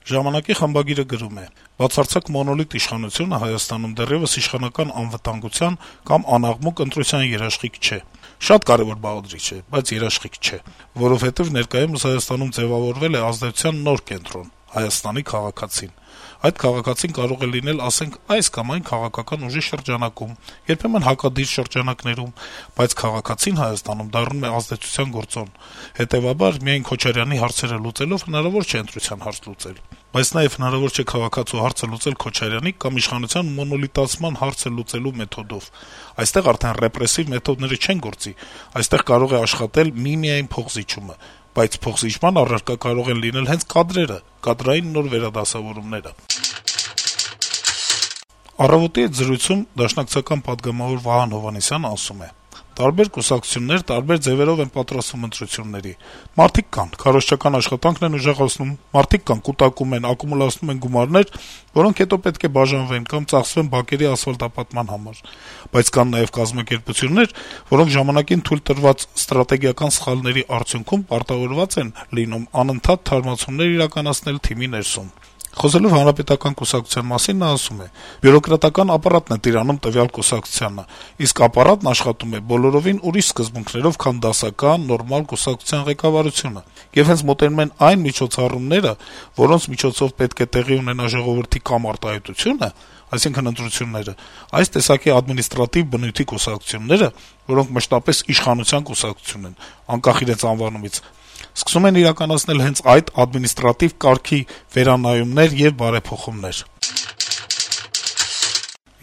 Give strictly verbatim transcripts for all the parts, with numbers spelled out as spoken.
Ժամանակի խմբագիրը գրում է. - «Բացարձակ մոնոլիտ իշխանությունը Հայաստանում դեռեւս իշխանական անվտանգության կամ անաղմուկ ընտրության երաշխիք չէ: Շատ կարեւոր բաղադրիչ է, բայց երաշխիք չէ, որովհետեւ ներկայումս Հայաստանում ձեւավորվել է ազդեցության նոր կենտրոն` Հայաստանի քաղաքացին: Այդ քաղաքացին կարող է լինել, ասենք, այս կամ այն քաղաքական ուժի շրջանակում, երբեմն հակադիր շրջանակներում, բայց քաղաքացին Հայաստանում դառնում է ազդեցության գործոն: Հետեւաբար, միայն Քոչարյանի հարցերը լուծելով հնարավոր չէ ընտրության հարց լուծել: Բայց նաեւ հնարավոր չէ քաղաքացու հարցը լուծել Քոչարյանի կամ իշխանության մոնոլիտացման հարցը լուծելու մեթոդով: Այստեղ արդեն ռեպրեսիվ մեթոդները չեն գործի, այստեղ կարող է աշխատել միմիայն փոխզիջումը: Բայց փոխզիջման առարկա կարող են լինել հենց կադրերը, կադրային նոր վերադասավորումները»: «Առավոտ»-ի հետ զրույցում դաշնակցական պատգամավոր Վահան Հովհաննիսյանը ասում է. - «Տարբեր կուսակցություններ տարբեր ձեւերով են պատրաստվում ընտրությունների: Մարդիկ կան, քարոզչական աշխատանքն են ուժեղացնում, մարդիկ կան, կուտակում են, ակումուլացնում են գումարներ, որոնք հետո պետք է բաժանվեն կամ ծախսվեն բակերի ասֆալտապատման համար: Բայց կան նաեւ կազմակերպություններ, որոնք ժամանակին թույլ տրված ստրատեգիական սխալների արդյունքում պարտավորված են լինում անընդհատ թարմացումներ իրականացնել թիմի ներսում»: Խոսելով Հանրապետական կուսակցության մասին` նա ասում է. - «Բյուրոկրատական ապարատն է տիրանում տվյալ կուսակցությանը, իսկ ապարատն աշխատում է բոլորովին ուրիշ սկզբունքներով, քան դասական, նորմալ կուսակցության ղեկավարությունը: Եվ հենց մոտենում են այն միջոցառումները, որոնց միջոցով պետք է տեղի ունենա ժողովրդի կամ արտահայտությունը, այսինքն ընտրությունները, այս տեսակի ադմինիստրատիվ բնույթի կուսակցությունները, որոնք մշտապես իշխանության կուսակցություն են, անկախ իրենց անվանումից, սկսում են իրականացնել հենց այդ ադմինիստրատիվ կարգի վերանայումներ եւ բարեփոխումներ»: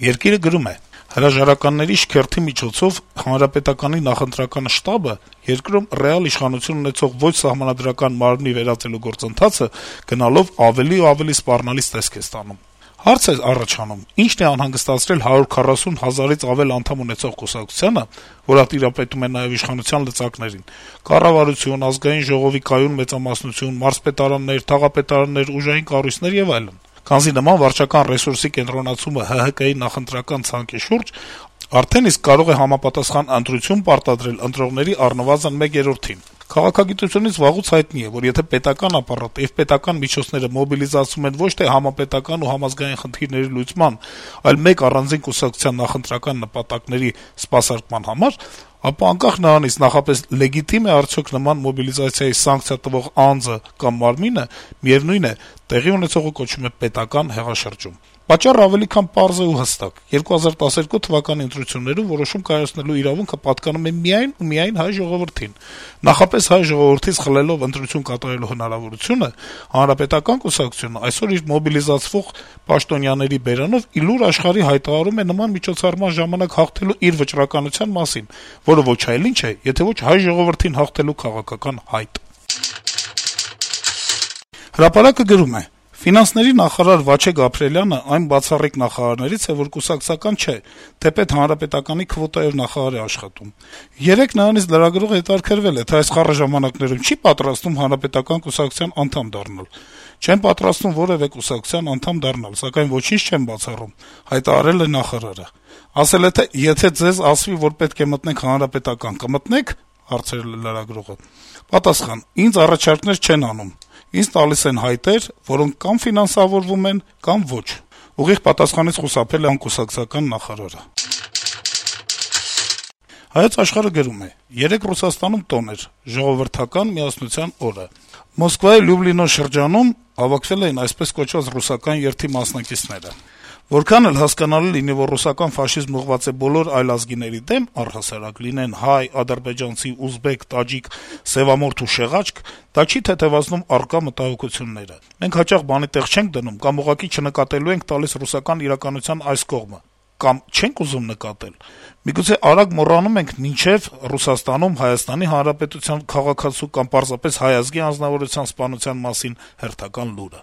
«Երկիր»-ը գրում է. - «Հրաժարականների շքերթի միջոցով Հանրապետականի նախընտրական շտաբը երկրում ռեալ իշխանություն ունեցող ոչ սահմանադրական մարմնի վերածելու գործընթացը գնալով ավելի ու ավելի սպառնալից տեսք է ստանում: Հարց է առաջանում` ի՞նչն է անհանգստացրել հարյուր քառասուն հազարից ավել անդամ ունեցող կուսակցությանը, որը տիրապետում է նաեւ իշխանության լծակներին` կառավարություն, Ազգային ժողովի կայուն մեծամասնություն, մարզպետարաններ, թաղապետարաններ, ուժային կառույցներ եւ այլն: Քանզի նման վարչական ռեսուրսի կենտրոնացումը ՀՀԿ-ի նախընտրական ցանկի շուրջ արդեն իսկ կարող է համապատասխան ընտրություն պարտադրել ընտրողների առնվազն մեկ երրորդին: Քաղաքագիտությունից վաղուց հայտնի է, որ եթե պետական ապարատը եւ պետական միջոցները մոբիլիզացվում են ոչ թե համապետական ու համազգային խնդիրների լուծման, այլ մեկ առանձին կուսակցության նախընտրական նպատակների սպասարկման համար, ապա անկախ նրանից նախապես լեգիտիմ է արդյոք նման մոբիլիզացիայի սանկցիա տվող անձը կամ մարմինը, միեւնույն է, տեղի ունեցողը կոչվում է պետական հեղաշրջում: Պատճառը ավելի քան պարզ է ու հստակ. երկու հազար տասներկու թվականի ընտրություններում որոշում կայացնելու իրավունքը պատկանում է միայն ու միայն հայ ժողովրդին: Նախապես հայ ժողովրդից խլելով ընտրություն կատարելու հնարավորությունը, Հանրապետական կուսակցությունը այսօր իր մոբիլիզացվող պաշտոնյաների բերանով ի լուր աշխարհի հայտարարում է նման միջոցառման ժամանակ հաղթելու իր վճռականության մասին, որը ոչ այլ ինչ է, եթե ոչ հայ ժողովրդին հաղթելու քաղաքական հայտ»: «Հրապարակ»-ը գրում է. - «Ֆինանսների նախարար Վաչե Գաբրիելյանը այն բացառիկ նախարարներից է, որ կուսակցական չէ, թեպետ Հանրապետականի քվոտայով նախարար է աշխատում: Երեկ նրանից լրագրողը հետաքրքրվել է, թե այս խառը ժամանակներում չի՞ պատրաստվում Հանրապետական կուսակցության անդամ դառնալ: «Չեմ պատրաստվում որեւէ կուսակցության անդամ դառնալ, սակայն ոչինչ չեմ բացառում», - հայտարարել է նախարարը: Ասել է, թե եթե ձեզ ասվի, որ պետք է մտնենք Հանրապետական, կմտնե՞ք: Հարցրել է լրագրողը: Պատասխան. - «Ինձ առաջարկներ չեն անում: Ինձ տալիս են հայտեր, որոնք կամ ֆինանսավորվում են, կամ ոչ», - ուղիղ պատասխանից խուսափել է անկուսակցական նախարարը: «Հայոց Աշխարհ»-ը գրում է. - «Երեկ Ռուսաստանում տոն էր` Ժողովրդական միասնության օրը: Մոսկվայի Լյուբլինո շրջանում հավաքվել էին այսպես կոչված ռուսական երթի մասնակիցները: Որքան էլ հասկանալի լինի, որ ռուսական ֆաշիզմն ուղղված է բոլոր այլազգիների դեմ, առհասարակ, լինեն հայ, ադրբեջանցի, ուզբեկ, տաջիկ, սեւամորթ ու շեղաջկ, դա չի թեթեւացնում առկա մտահոգությունները: Մենք հաճախ բանի տեղ չենք դնում կամ ուղղակի չնկատելու ենք տալիս ռուսական իրականության այս կողմը, կամ չենք ուզում նկատել: Միգուցե արագ մոռանում ենք մինչեւ Ռուսաստանում Հայաստանի Հանրապետության քաղաքացու կամ պարզապես հայ ազգի անձնավորության սպանության մասին հերթական լուրը»: